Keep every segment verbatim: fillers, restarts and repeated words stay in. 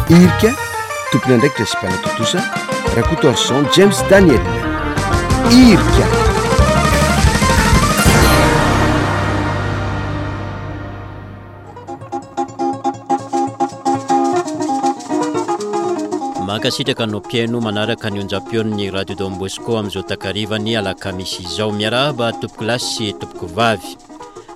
Irika, tompon'andraikitra sy mpanatontosa, Rakotoarison James Daniel. Irika. Mankasitraka anao mpihaino manaraka ny onjam-peon'ny Radio Don Bosco amin'izao takarivan'ny alakamisy izao. Miarahaba tompokolahy sy tompokovavy.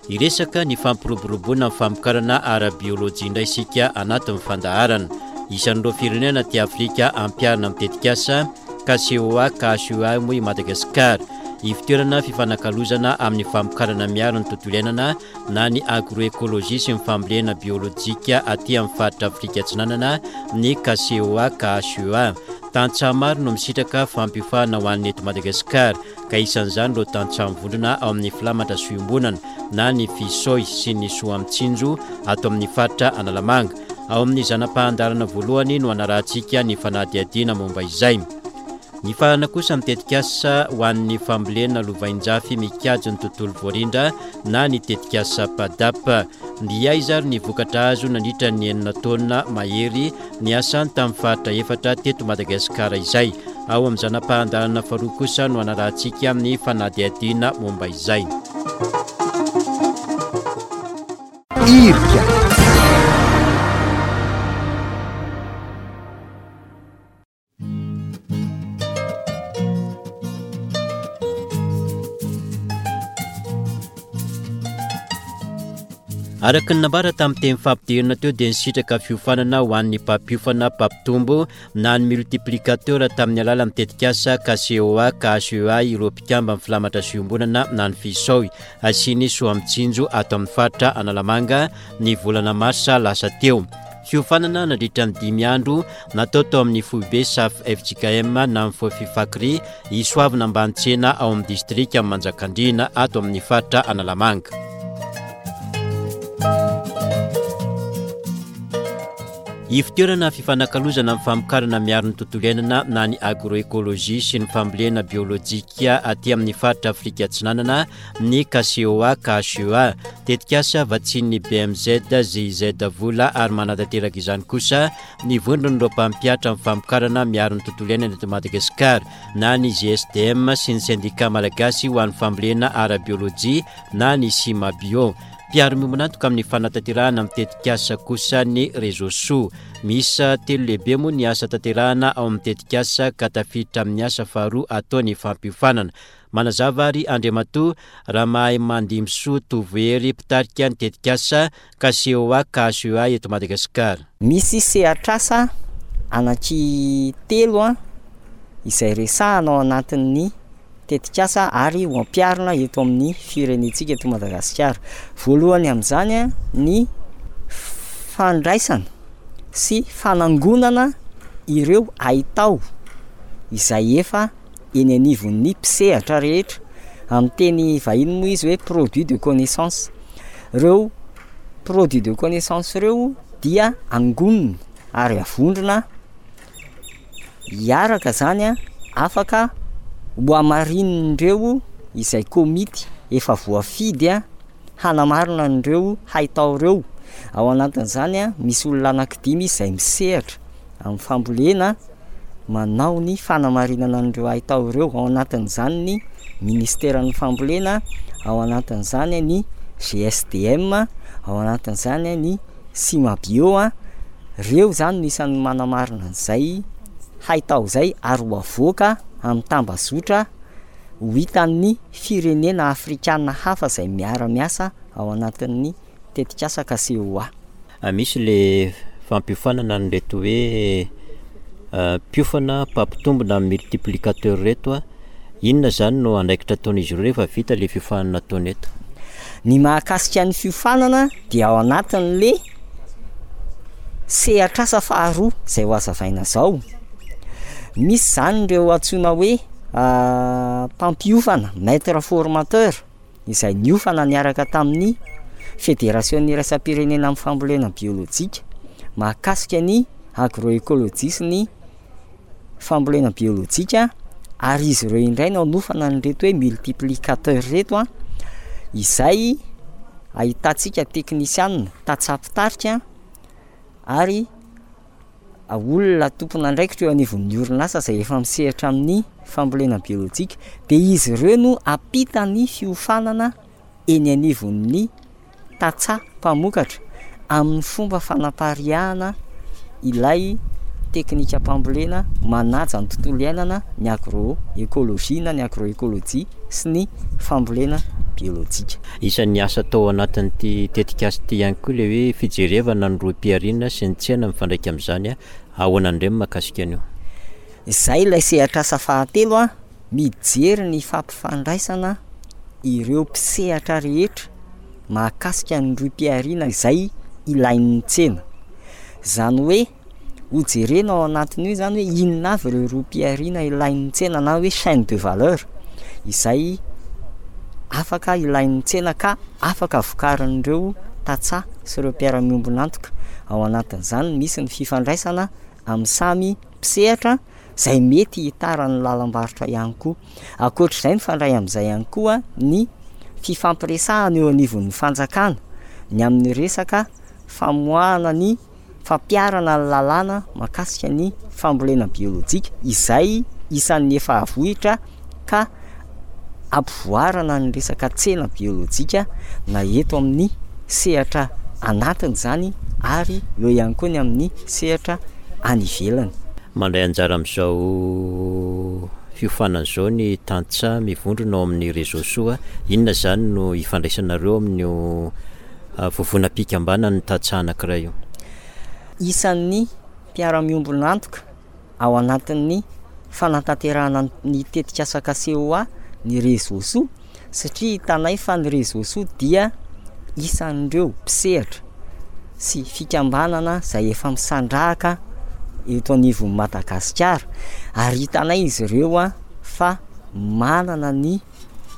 Hiresaka ny fampiroboroboana ny famokarana ara-biolojia indray isika anatin'ny fandaharana. Isan'ireo firenena aty Afrika ampiharina amin'ny tetikasa K C O A K H E A moa i Madagasikara. Ivotoerana fifanakalozana amin'ny famokarana miaro ny tontolo iainana na ny agroécologie sy ny fambolena biolojika aty amin'ny faritra Afrika Atsinanana ny K C O A K H E A. Tantsaha maro no misitraka fampiofana ho an'ny eto Madagasikara, ka isan'izany ireo tantsaha mivondrona ao amin'ny filamatra soiombonana na ny Fisoy sy ny Soamitsinjo ato amin'ny faritra Analamanga. Ao amin'ny zana-pahandarana voalohany no anarahantsika ny fanadihadiana momba izay. Ny farana kosa amin'ny tetikasa ho an'ny fambolena lovainjafy mikajy ny tontolo voarindra na ny tetikasa PADAP. Ny aiza ary ny vokatra azo nandritra ny enina taona mahery ny asany tamin'ny faritra efatra teto Madagasikara izay. Ao amin'ny zana-pahandarana faharoa kosa no anarahantsika amin'ny fanadihadiana momba izay. Irika. Araka ny nambara tamin'ny teny fampidirana teo dia nisitraka fiofanana ho an'ny mpampiofana mpampitombo na ny multiplicateur tamin'ny alalan'ny tetikasa K C O A K H E A ireo mpikamba amin'ny filamatra soiombonana na ny Fisoy sy ny Soamitsinjo ato amin'ny faritra Analamanga ny volana marsa lasa teo. Fiofanana nandritra ny dimy andro natao tao amin'ny foibe S A F F J K M na ny Fofifakri Isoavina Ambanitsena ao amin'ny distrika Manjakandriana ato amin'ny faritra Analamanga. Ivotoerana fifanakalozana amin'ny famokarana miaro ny tontolo iainana na ny agroécologie sy ny fambolena biolojika aty amin'ny faritra Afrika Atsinanana ny K C O A K H E A. Tetikasa vatsian'ny B M Z G I Z vola ary manatanteraka izany kosa ny vondron'ireo mpampiatra amin'ny famokarana miaro ny tontolo iainana eto Madagasikara na ny G S D M sy ny sendika malagasy ho an'ny fambolena ara-biolojia na ny Simabio. Mpiaro miombon'antoka amin'ny fanatanterahana amin'ny tetikasa kosa ny Réseau Soa. Miisa telo lehibe moa ny asa tanterahana ao amin'ny tetikasa ka tafiditra amin'ny asa faharoa atao ny fampiofanana. Manazava ary Andriamatoa Ramahimandimbisoa Tovohery mpitarika ny tetikasa K C O A K H E A eto Madagasikara. Misy sehatr'asa anaky telo a izay resahana ao anatin'ny tetikasa ary ho ampiharina eto amin'ny firenentsika eto Madagasikara. Voalohany amin'izany a ny fandraisana sy fanangonana ireo haitao izay efa eny anivon'ny mpisehatra rehetra. Amin'ny teny vahiny moa izy hoe produit de connaissance. Ireo produit de connaissance ireo dia angonina ary avondrona hiaraka zany a afaka ho hamarinin'ireo izay komity efa voafidy a hanamarina an'ireo haitao ireo. Ao anatin'izany a misy olona anankidimy izay misehatra amin'ny fambolena manao ny fanamarinana an'ireo haitao ireo. Ao anatin'izany ny ministeran'ny fambolena, ao anatin'izany ny G S D M, ao anatin'izany ny Simabio a. Ireo zany no isan'ny manamarina an'izay haitao izay ary ho avoaka amin'ny tambazotra ho hitan'ny firenena afrikana hafa izay miara-miasa ao anatin'ny tetikasa K C O A. Ah, misy le fampiofanana an'ireto hoe, ah, mpiofana mpampitombo na multiplicateur reto a. Inona zany no andraikitra ataon'izy ireo rehefa vita le fiofanana ataony eto? Ny mahakasika ny fiofanana dia ao anatin'le sehatr'asa faharoa izay ho hazavaina zao. Misy zany ireo antsoina hoe, ah, mpampiofana, maître formateur, izay niofana niaraka tamin'ny Fédération iraisam-pirenena amin'ny fambolena biolojika mahakasika ny agroécologie sy ny fambolena biolojika, ary izy ireo indray no hanofana an'ireto hoe multiplicateur ireto a, izay ahitantsika teknisianina, tantsaha mpitarika ary olona tompon'andraikitra eo anivon'ny orinasa izay efa misehatra amin'ny fambolena biolojika, dia izy ireo no hampita ny fiofanana eny anivon'ny tantsaha mpamokatra amin'ny fomba fanapariahana ilay teknikam-pambolena manaja ny tontolo iainana, ny agroécologie na ny agroécolojia sy ny fambolena biolojika. Isan'ny asa atao anatin'ity tetikasa ity ihany koa ilay hoe fijerevana ny rohim-pihariana sy ny tsena mifandraika amin'izany. Ahoana indray ny mahakasika an'io? Izay ilay sehatr'asa fahatelo, a mijery ny fampifandraisana ireo mpisehatra rehetra mahakasika ny rohim-pihariana izay ilain'ny tsena. Izany hoe hojerena ao anatin'io izany hoe inona avy ireo rohim-pihariana ilain'ny tsena na hoe chaîne de valeur izay afaka ilain'ny tsena ka afaka vokarin'ireo tantsaha sy ireo mpiara-miombon'antoka. Ao anatin'izany misy ny fifandraisana amin'ny samy mpisehatra izay mety hitaran'ny lalam-barotra ihany koa. Ankoatr'izay, mifandray amin'izay ihany koa ny fifampiresahana eo anivon'ny fanjakana ny amin'ny resaka famoahana ny fampiharana ny lalàna mahakasika ny fambolena biolojika izay isan'ny efa avohitra ka ampivoarana ny resaka tsena biolojika na eto amin'ny sehatra anatiny izany ary eo ihany koa ny amin'ny sehatra any ivelany. Mandray anjara amin'izao fiofanana izao ny tantsaha mivondrona ao amin'ny Réseau Soa. Inona izany no ifandraisanareo amin'io vovonam-pikambanan'ny tantsaha anankiray io? Isan'ny mpiara-miombon'antoka ao anatin'ny fanatanterahana ny tetikasa K C O A ny Réseau Soa, satria hitanay fa ny Réseau Soa dia isan'ireo mpisehatra sy fikambanana izay efa misandrahaka eto anivon'i Madagasikara, ary hitanay izy ireo a fa manana ny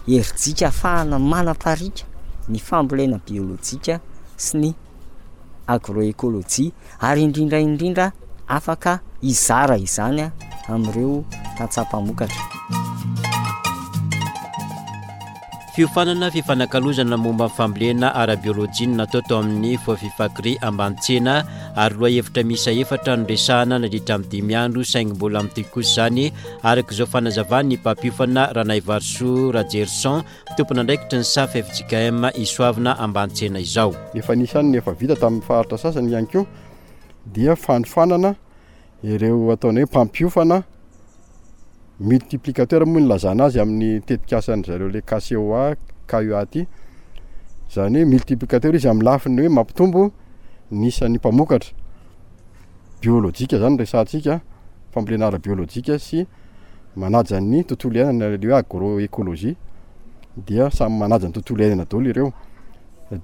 herijika ahafahana manaparika ny fambolena biolojika sy ny agroécologie, ary indrindra indrindra afaka hizara izany amin'ireo tantsaha mpamokatra. Fiofanana fifanakalozana momba ny fambolena ara-biolojia no natao tao amin'ny Fofifakri Ambantsena, ary lohahevitra miisa efatra no resahana nandritra ny dimy andro, saingy mbola mitohy kosa izany araka izao fanazavan'ny mpampiofana Ranaivarosoa Rajerison, tompon'andraikitry ny S A F F J K M Isoavina Ambantsena izao. Efa nisy ihany ny efa vita tamin'ny faritra sasany ihany koa dia fanofanana ireo ataonay hoe mpampiofana multiplicateur moa ny lazana azy amin'ny tetikasan'ny zareo le K C O A, K U A ty. Izany hoe multiplicateur izy amin'ny lafiny hoe mampitombo ny isan'ny mpamokatra biolojika zany resahantsika, fambolena ara-biolojika sy manaja ny tontolo iainana, le hoe agroécologie, dia samy manaja ny tontolo iainana daholo ireo.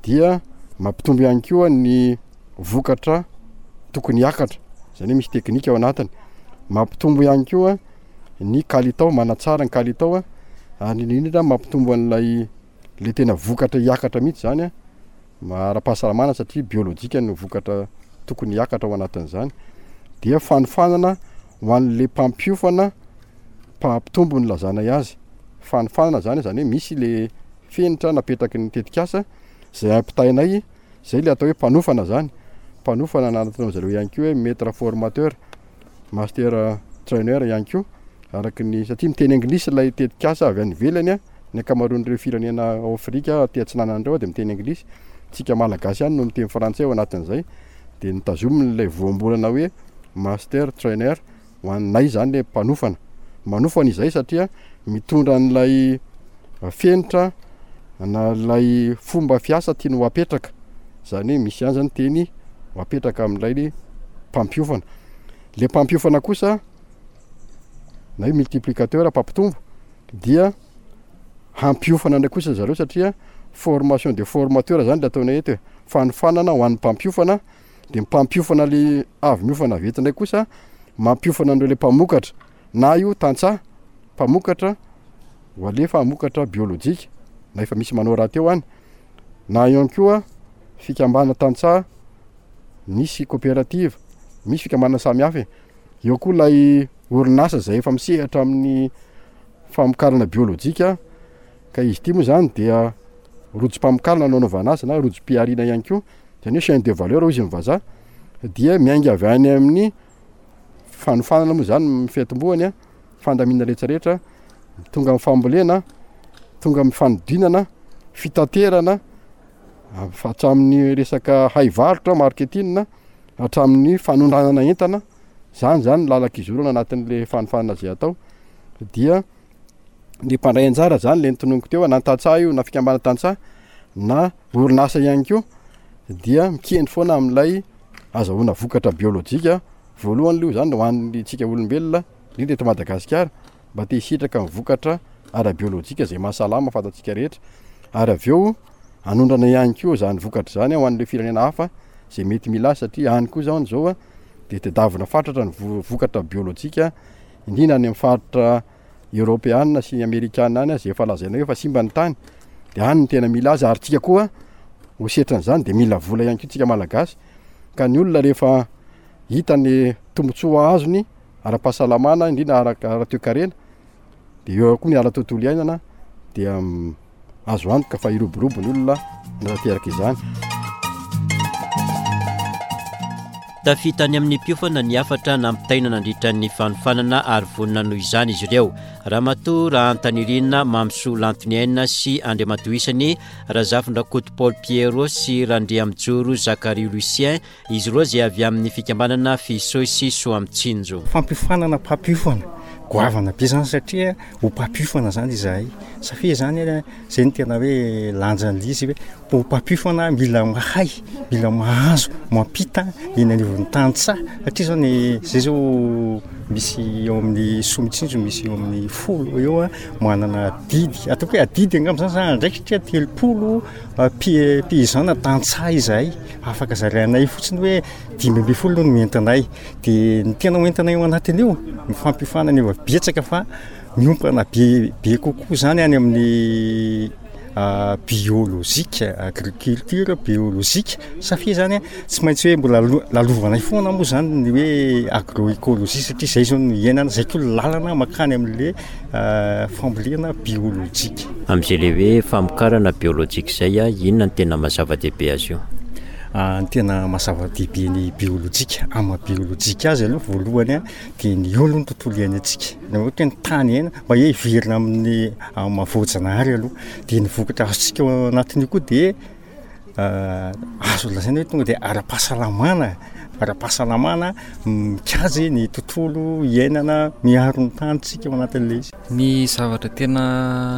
Dia mampitombo ihany koa ny vokatra tokony hiakatra, izany hoe misy teknika ao anatiny. Mampitombo ihany koa ny kalitao, manatsara ny kalitao, ary indrindra mampitombo an'ilay le tena vokatra hiakatra mihitsy zany a, ara-pahasalamana satria biolojika no vokatra tokony hiakatra ao anatin'izany. Dia fanofanana ho an'le mpampiofana mpampitombo ny lazanay azy. Fanofanana zany, zany hoe misy le fenitra napetraky ny tetikasa izay ampitainay, izay le atao hoe mpanofana zany. Mpanofana na ataon'ny zareo ihany koa hoe maître formateur, master trainer ihany koa, araky ny, satria miteny anglisy ilay tetikasa avy any ivelany a, ny ankamaroan'ireo firenena ao Afrika aty atsinanana ireo dia miteny anglisy, tsika malagasy ihany no miteny frantsay ao anatin'izay, dia nitazominy ilay voambolana hoe master trainer ho anay zany le mpanofana. Manofana izay satria mitondra an'ilay fenitra na ilay fomba fiasa tiany ho apetraka, zany hoe misy ihany zany teny ho apetraka amin'ilay mpampiofana. Le mpampiofana kosa na hoe multiplicateur mpampitombo dia hampiofana indray kosa zareo satria formation de formateur zany le ataonay eto e, fanofanana ho an'ny mpampiofana, de mpampiofana le avy miofana avy eto indray kosa mampiofana an'ireo le mpamokatra, na io tantsaha mpamokatra ho alefa hamokatra biolojika na efa misy manao rahateo any, na ihany koa fikambanana tantsaha misy coopérative, misy fikambanana samihafa e. Eo koa ilay orinasa izay efa misehatra amin'ny famokarana biolojika, ka izy ity moa zany dia rojom-pamokarana no anaovana azy na rojom-pihariana ihany koa, izany hoe chaîne de valeur hoy izy ny vazaha, dia miainga avy any amin'ny fanofanana moa zany ny fiatombohany a, fandaminana rehetrarehetra, tonga amin'ny fambolena, tonga amin'ny fanodinana, fitaterana, hatramin'ny resaka haivarotra, marketing, hatramin'ny fanondranana entana. Zany zany lalan-kizorana anatin'le fanofanana zay atao. Dia ny mpandray anjara zany le notononiko teo, na tantsaha io na fikambanana tantsaha na orinasa ihany koa, dia mikendry foana amin'ilay azahoana vokatra biolojika. Voalohany aloha zany ho an'ny tsika olombelona, indrindra eto Madagasikara, mba te hisitraka ny vokatra ara-biolojika zay mahasalama fantatsika rehetra, ary avy eo hanondrana ihany koa zany vokatra zany ho an'ireo firenena hafa zay mety mila azy, satria any koa zany zao a de tadiavina fatratra ny vo-, vokatra biolojika, indrindra any amin'ny faritra eoropeana sy amerikana any, zay efa lazaina hoe efa simba ny tany, de any no tena mila azy. Ary tsika koa ho setran'izany de mila vola ihany koa tsika malagasy, ka ny olona rehefa hita ny tombontsoa azony ara-pahasalamana, indrindra ara-, ara-toekarena, de eo koa ny ara-tontolo iainana, dia azo antoka fa hiroborobo ny olona nanateraka izany. Tafita any amin'ny mpiofana ny hafatra nampitaina nandritra ny fanofanana ary vonona noho izany izy ireo. Ramatoa Rahantanirina Mamisoa Lantoniaina sy Andriamatoa Isany, Razafindrakoto Paul Pierrot sy Randriamijoro Zakaria Lucien, izy ireo izay avy amin'ny fikambanana Fisoy sy Soamitsinjo. Fampiofanana mpampiofana goavana be zany, satria ho mpampiofana zany izahay. Satria zany zay no tena hoe lanjan'ilay izy, hoe ho mpampiofana mila mahay, mila mahazo, mampita eny anivon'ny tantsaha. Satria zany zay zao misy eo amin'ny Soamitsinjo, misy eo amin'ny folo eo a, manana adidy, ataoko hoe adidy angamba zany, zany andraikitra telopolo, ah, pi-, paysan na tantsaha izahay. Afaka zarainay fotsiny hoe dimy ambin'ny folo no entinay. De ny tena hoentinay ao anatin'io, ny fampiofanana eo betsaka fa miompana be, be kokoa zany any amin'ny, ah, biolojika, agriculture biolojika. Satria zany tsy maintsy hoe mbola lo-, lalovanay foana moa zany ny hoe agroécologie, satria zay zao no iainana, zay koa lalana mankany amin'le, ah, fambolena biolojika. Amin'izay le hoe famokarana biolojika izay a, inona no tena maha-zava-dehibe azy io? Ah, ny tena maha-zava-dehibe ny biolojika, amin'ny maha-biolojika azy aloha voalohany a, dia ny eo aloha ny tontolo iainantsika. Na ohatra hoe ny tany iainana, mba hoe hiverina amin'ny, amin'ny maha-voajanahary aloha. Dia ny vokatra azontsika ao anatin'io koa dia, ah, azo lazaina hoe tonga dia ara-pahasalamana, ara-pahasalamana mikajy ny tontolo iainana, miaro ny tanitsika ao anatin'ilay izy. Ny zavatra tena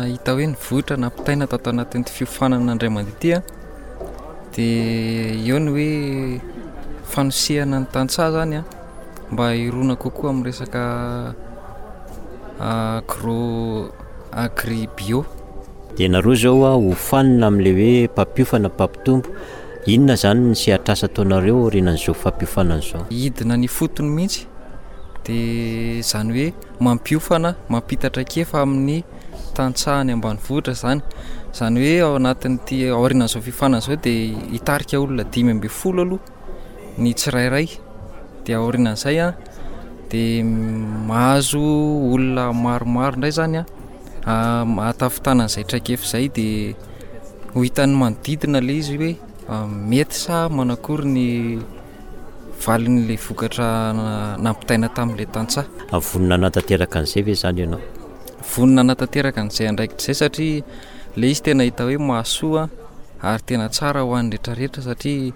hita hoe nivoitra nampitaina tato anatin'ity fiofanana indray mandeha ity a, dia eo ny hoe fanosehana ny tantsaha zany a, mba hirona kokoa amin'ny resaka agro, agri bio. Dia nareo zao a, hofanina amin'ilay hoe mpampiofana mpampitombo, inona zany ny sehatr'asa ataonareo aorianan'izao fampiofanana izao? Hidina ny fotony mihitsy, dia zany hoe mampiofana, mampita traikefa amin'ny tantsaha any ambanivohitra zany. Zany hoe ao anatin'ity aorianan'izao fiofanana izao dia hitarika olona dimy ambin'ny folo aloha ny tsirairay. Dia aorianan'izay a, dia mahazo olona maromaro indray zany a, ah, mahatafitana an'izay traikefa izay, dia ho hitan'ny manodidina ilay izy hoe, ah, mety sa manakory ny valin'ilay vokatra na-, nampitaina tamin'ilay tantsaha. Vonona hanatanteraka an'izay ve zany ianao? Vonona hanatanteraka an'izay andraikitra izay, satria ilay izy tena hita hoe mahasoa ary tena tsara ho an'ny rehetrarehetra, satria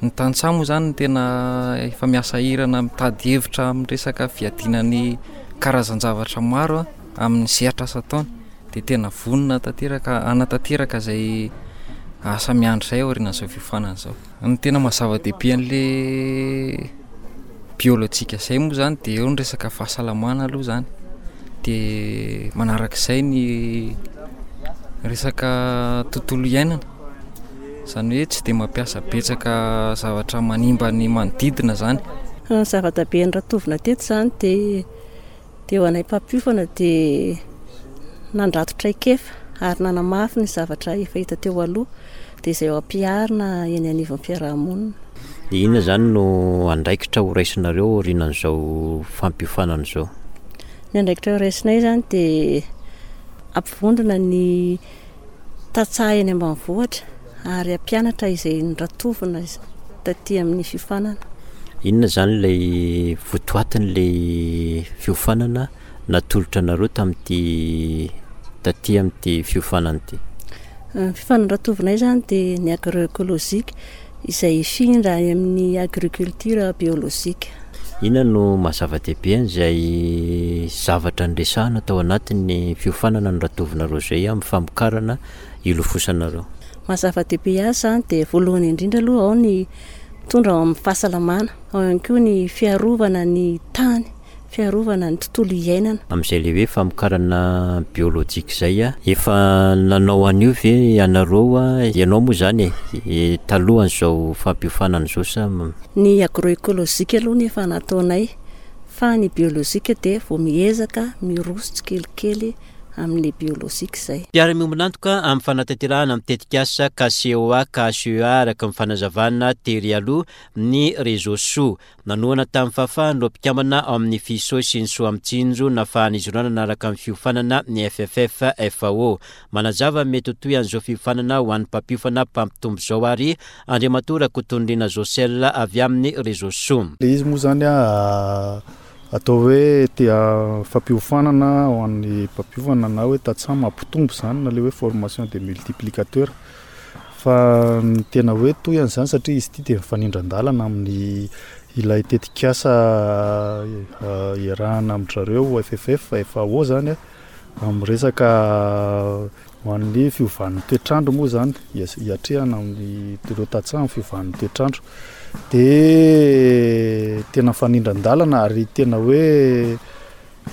ny tantsaha moa zany no tena efa miasa hirana mitady hevitra amin'ny resaka fiadiana ny karazan-javatra maro a, amin'ny sehatra asa ataony. Dia tena vonona tanteraka hanatanteraka izay asa miandry izay aorianan'izao fiofanana izao. Ny tena maha-zava-dehibe an'ilay biolojika izay moa zany dia eo ny resaka fahasalamana aloha zany, dia manarak'izay ny resaka tontolo iainana, izany hoe tsy dia mampiasa betsaka zavatra manimba ny manodidina zany. Ny zava-dehibe noratovina teto zany dia, dia ho anay mpampiofana dia nandrato traikefa ary nanamafy ny zavatra efa hita teo aloha, dia izay ho ampiharina eny anivon'ny fiarahamonina. Dia inona zany no andraikitra ho raisinareo aorianan'izao fampiofanana izao? Ny andraikitra ho raisinay zany dia ampivondrona ny tantsaha eny ambanivohitra ary hampianatra izay noratovina taty amin'ny fiofanana. Inona izany ilay votoatin'ilay fiofanana natolotra anareo tamin'ity taty amin'ity fiofanana ity? Ny fiofanana ratovinay izany dia ny agroécologique izay hifindra any amin'ny agriculture biologique. Inona no maha zava-dehibe an'izay zavatra niresahana tao anatin'ny fiofanana noratovinareo izay amin'ny famokarana ilofosanareo? Maha zava-dehibe azy izany dia voalohany indrindra aloha ao ny mitondra ao amin'ny fahasalamana, ao ihany koa ny fiarovana ny tany, fiarovana ny tontolo iainana. Amin'izay ilay hoe famokarana biolojika izay, efa nanao an'io ve ianareo, ianao moa izany e, talohan'izao fampiofanana izao sa? Ny agroécologique aloha no efa nataonay, fa ny biolojika dia vao miezaka miroso tsikelikely amin'ny biolojika izay. Mpiara-miombon'antoka amin'ny fanatanterahana ny tetikasa K C O A K H E A araka ny fanazavana tery aloha ny Réseau Soa. Nanohana tamin'ny fahafahan'ireo mpikambana ao amin'ny Fiso sy ny Soa Mitsinjo nafahan'izy ireo nanaraka ny fiofanana ny F F F F O. Manazava ny mety ho toy an'izao fiofanana ho an'ny mpampiofana mpampitombo izao ary Andriamatoa Rakotonirina Josel avy amin'ny Réseau Soa. Ilay izy moa izany a, atao hoe tia fampiofanana ho an'ny mpampiofana na hoe tantsaha mampitombo izany na ilay hoe formation des multiplicateurs. Fa ny tena hoe toy an'izany satria izy ity dia mifanindran-dalana amin'ny ilay tetikasa, eh, iarahana amin-dry zareo F F F F O zany, amin'ny resaka ho an'ny fiovan'ny toetrandro moa zany, ias-, iatrehana amin'ny ireo tantsaha amin'ny fiovan'ny toetrandro. Dia tena mifanindran-dalana ary tena hoe,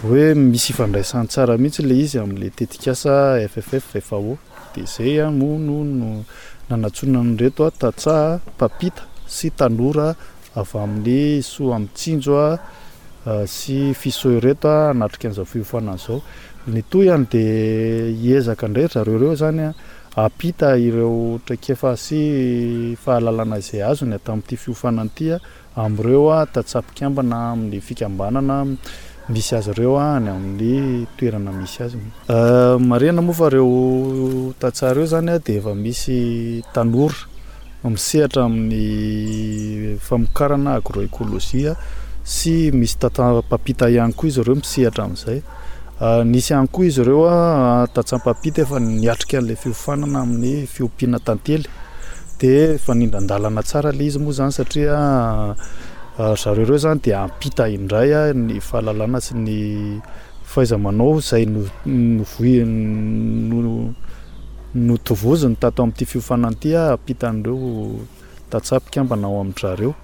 hoe misy ifandraisany tsara mihitsy ilay izy amin'ilay tetikasa F F F F O. Dia izay a, moa no, no nanantsoina an'ireto a, tantsaha mpampita sy tanora avy amin'ny Soa Mitsinjo a, sy Fiso ireto a, hanatrika an'izao fiofanana izao. Ny tohiny dia hiezaka indray ry zareo ireo zany a, hampita ireo traikefa sy fahalalana izay azony tamin'ity fiofanana ity a, amin'ireo a, tantsaha mpikambana amin'ny fikambanana misy azy ireo a, any amin'ny toerana misy azy. Eh, marihana moa fa ireo tantsaha ireo zany a, dia efa misy tanora misehatra amin'ny famokarana agroécologie sy misy tantsaha mpampita ihany koa izy ireo misehatra amin'izay. Eh, nisy ihany koa izy ireo a, tantsaha mpampita efa niatrika an'ilay fiofanana amin'ny fiompiana tantely. Dia mifanindran-dalana tsara ilay izy moa zany satria, eh, zareo ireo zany dia hampita indray a, ny fahalalana sy ny fahaiza-manao izay no-, novoy-, no-, notovoziny tato amin'ity fiofanana ity a, hampita an'ireo tantsaha mpikambana ao amin-dry zareo.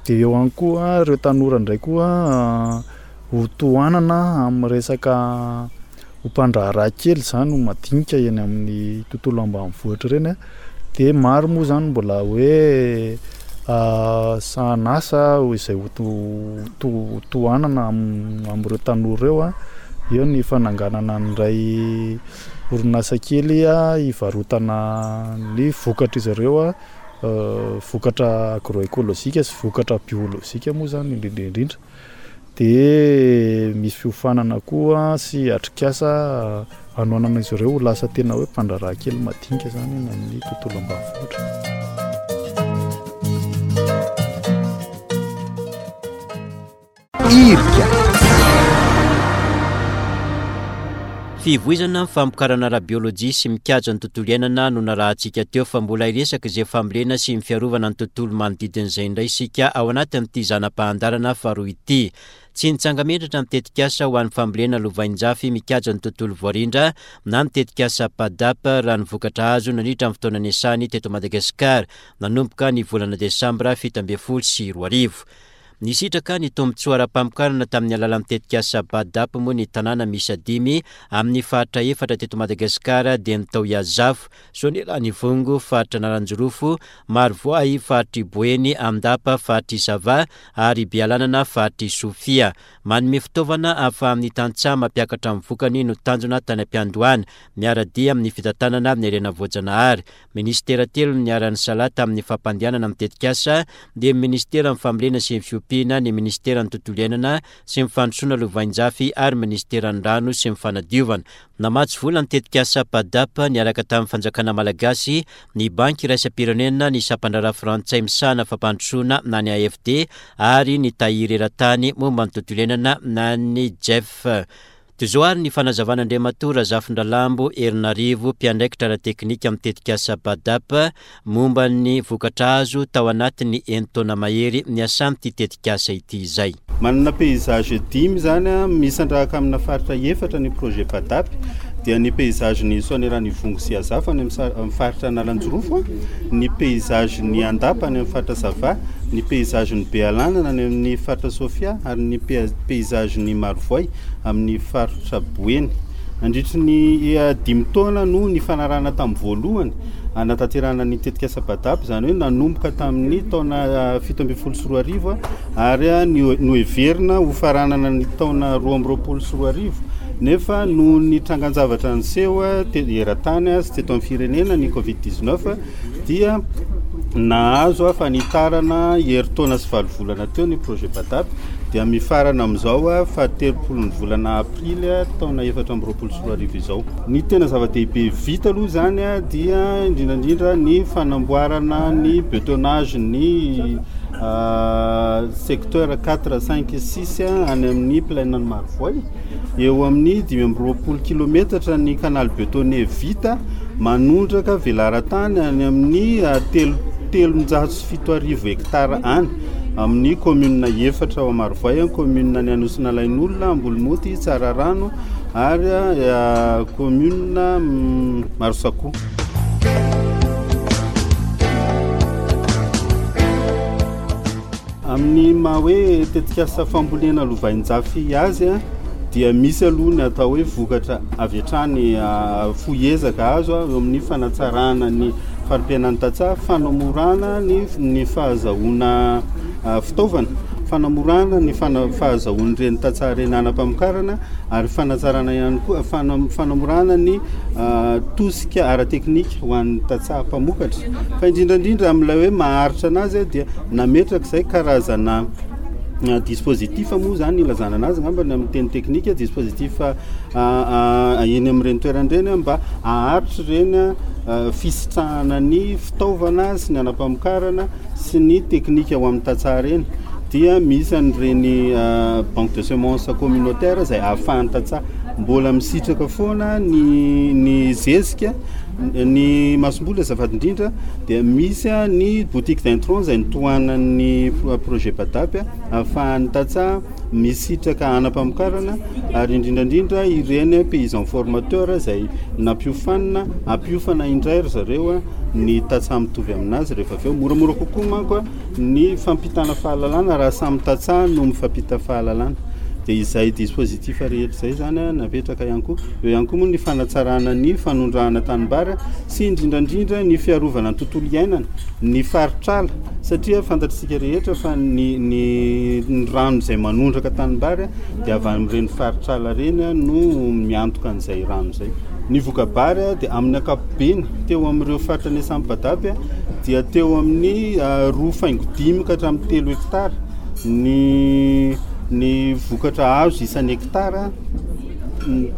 Dia eo ihany koa ireo tanora indray koa, ho tohanana amin'ny resaka ho mpandraharaha kely zany, ho madinika eny amin'ny tontolo ambanivohitra ireny a. Dia maro moa zany mbola hoe, ah, sahanasa izay ho to-, to-, tohanana am-, amin'ireo tanora ireo a. Eo ny fananganana an'iray orinasa kely a, hivarotana ny vokatr'izy ireo a, eh, vokatra agroécologique sy vokatra biolojika moa zany indrindra indrindra. Dia misy fiofanana koa sy atrikasa hanohanana izy ireo ho lasa tena hoe mpandraharaha kely madinika zany eny amin'ny tontolo ambanivohitra. Irika. Fivoizana ny famokarana ara-biolojia sy mikajy ny tontolo iainana no narahantsika teo, fa mbola hiresaka izay fambolena sy ny fiarovana ny tontolo manodidina izay indray isika ao anatin'ity zana-pahandarana faharoa ity. Tsy nitsanga-menatra ny tetikasa ho an'ny fambolena lovainjafy mikajy ny tontolo voarindra na ny tetikasa PADAP raha ny vokatra azo nandritra ny fotoana niasany teto Madagasikara nanomboka ny volana desambra fito ambin'ny folo sy roa arivo. Nisitraka ny tombontsoa ara-pamokarana tamin'ny alalan'ny tetikasa PADAP moa ny tanàna miisa dimy amin'ny faritra efatra teto Madagasikara dia ny tao Iazafo, Soanierana-Ivongo, faritra Analanjirofo, Marovoay, faritry Boeny, Andapa, faritry Sava ary Bealanana, faritry Sofia. Manome fitaovana ahafahan'ny tantsaha mampiakatra ny vokany no tanjona tany am-piandohana, miara-dia amin'ny fitantanana ny harena voajanahary. Ministera telo no niara-nisalahy tamin'ny fampandehanana ny tetikasa dia ny ministeran'ny fambolena sy ny fiompiana, fanampiana ny Ministeran'ny Tontolo Iainana sy ny Fandrosoana Lovainjafy ary Ministeran'ny Rano sy ny Fanadiovana. Namatsy vola ny tetikasa PADAP niaraka tamin'ny fanjakana malagasy, ny Banky Iraisam-pirenena, ny sampandraharaha frantsay misahana fampandrosoana na ny A F D ary ny tahiry eran-tany momba ny tontolo iainana na ny G E F. Toy izao ary ny fanazavan'Andriamatoa Razafindralambo Herinarivo, mpiandraikitra ara-teknika amin'ny tetikasa PADAP, momba ny vokatra azo tao anatin'ny enin-taona mahery niasan'ity tetikasa ity izay. Manana paysage dimy zany a misandrahaka amina faritra efatra ny projet PADAP, dia ny paysage ny Soanierana Ivongo sy Azafa any amin'ny faritra Analanjirofo, ny paysage ny Andapa any amin'ny faritra Sava, ny paysage ny Bealanana any amin'ny faritra Sofia ary ny paysage ny Marovoay amin'ny faritra Boeny. Nandritry ny dimy taona no ny fanarahana tamin'ny voalohany anatanterahana ny tetikasa PADAP, zany hoe nanomboka tamin'ny taona fito ambin'ny folo sy roa arivo ary noheverina ho faranana ny taona roa amby roapolo sy roa arivo, nefa noho ny trangan-javatra niseho eran-tany sy teto amin'ny firenena, ny covid dix-neuf, dia nahazo a fanitarana herintaona sy valo volana teo ny projet PADAP, dia mifarana amin'izao a fahatelopolo ny volana aprily taona efatra amby roapolo sy roa arivo izao. Ny tena zava-dehibe vita aloha zany a dia indrindrandrindra ny fanamboarana ny bétonnage ny secteur quatre, cinq, six any amin'ny plaine ny Marovoay. Eo amin'ny dimy amby roapolo kilometatra ny canal bétonné vita, manondraka velaran-tany any amin'ny telo telonjato sy fito arivo hektara any amin'ny commune efatra ao Marovoay: commune ny Anosinalain'olona, Ambolomoty, Tsararano ary commune Marosakoa. Amin'ny maha hoe tetikasa fambolena lovainjafy azy a dia misy aloha ny atao hoe vokatra avy hatrany fohy ezaka azo eo amin'ny fanatsarana ny fari-piainan'ny tantsaha, fanamorana ny ny fahazahoana fitaovana, fanamorana ny fahazahoan'ireny tantsaha ireny anam-pamokarana ary fanatsarana ihany koa fanamorana ny tosika ara-teknika ho an'ny tantsaha mpamokatra. Fa indrindrandrindra amin'ilay hoe maharitra anazy dia nametraka izay karazana dispositif moa zany ilazana anazy angamba ny amin'ny teny teknika, dispositif eny amin'ireny toerana ireny mba haharitra ireny fisitrahana ny fitaovana sy ny anam-pamokarana sy ny teknika ho amin'ny tantsaha ireny. Dia misy an'ireny banque de semence communautaire izay ahafahan'ny tantsaha mbola misitraka foana ny ny zezika, ny masomboly azafady indrindra. Dia misy ny boutique d'intrant izay nitohanan'ny projet PADAP ahafahan'ny tantsaha misitraka anam-pamokarana ary indrindrandrindra ireny paysan formateur izay nampiofanina ampiofana indray ry zareo ny tantsaha mitovy aminazy rehefa avy eo. Moramora kokoa manko ny fampitana fahalalana raha samy tantsaha no mifampita fahalalana. Dia izay dispositif rehetra izay zany napetraka ihany koa. Eo ihany koa moa ny fanatsarana ny fanondrahana tanimbary sy indrindrandrindra ny fiarovana ny tontolo iainana, ny faritrala, satria fantatritsika rehetra fa ny ny ny rano izay manondraka tanimbary dia avy amin'ireny faritrala ireny no miantoka an'izay rano izay. Ny voka-bary dia amin'ny ankapobeny teo amin'ireo faritra niasan'ny PADAP dia teo amin'ny roa faingo dimy ka hatramin'ny telo hektara ny ny vokatra azo isan'ny hektara,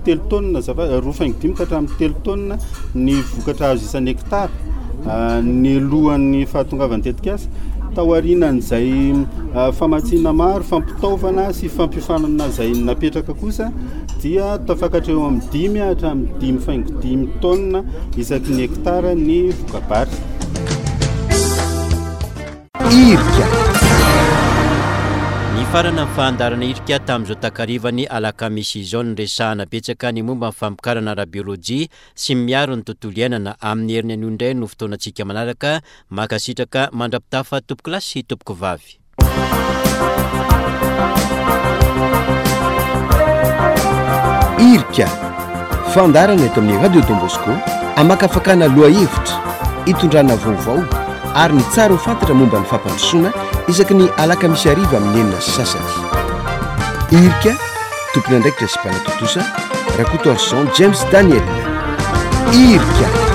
telo taonina azafady, roa faingo dimy ka hatramin'ny telo taonina ny vokatra azo isan'ny hektara ny alohan'ny fahatongavan'ny tetikasa. Taorianan'izay famatsiana maro, fampitaovana sy fampiofanana izay napetraka kosa dia tafakatra eo amin'ny dimy hatramin'ny dimy faingo dimy taonina isaky ny hektara ny voka-bary. Irika. Nifarana ny fandaharana Irika tamin'izao takarivany alakamisy izao, ny resahana betsaka ny momba ny famokarana ara-biolojia sy miaro ny tontolo iainana. Amin'ny heriny anio indray no fotoanantsika manaraka. Mankasitraka mandra-pitafa, tompoko lahy sy tompoko vavy. Irika, fandaharana eto amin'ny Radio Don Bosco amakafakana lohahevitra, itondrana vaovao ary ny tsara ho fantatra momba ny fampandrosoana, isaky ny alakamisy hariva amin'ny enina sy sasany. Irika, tompon'andraikitra sy mpanatontosa Rakotoarison James Daniel. Irika.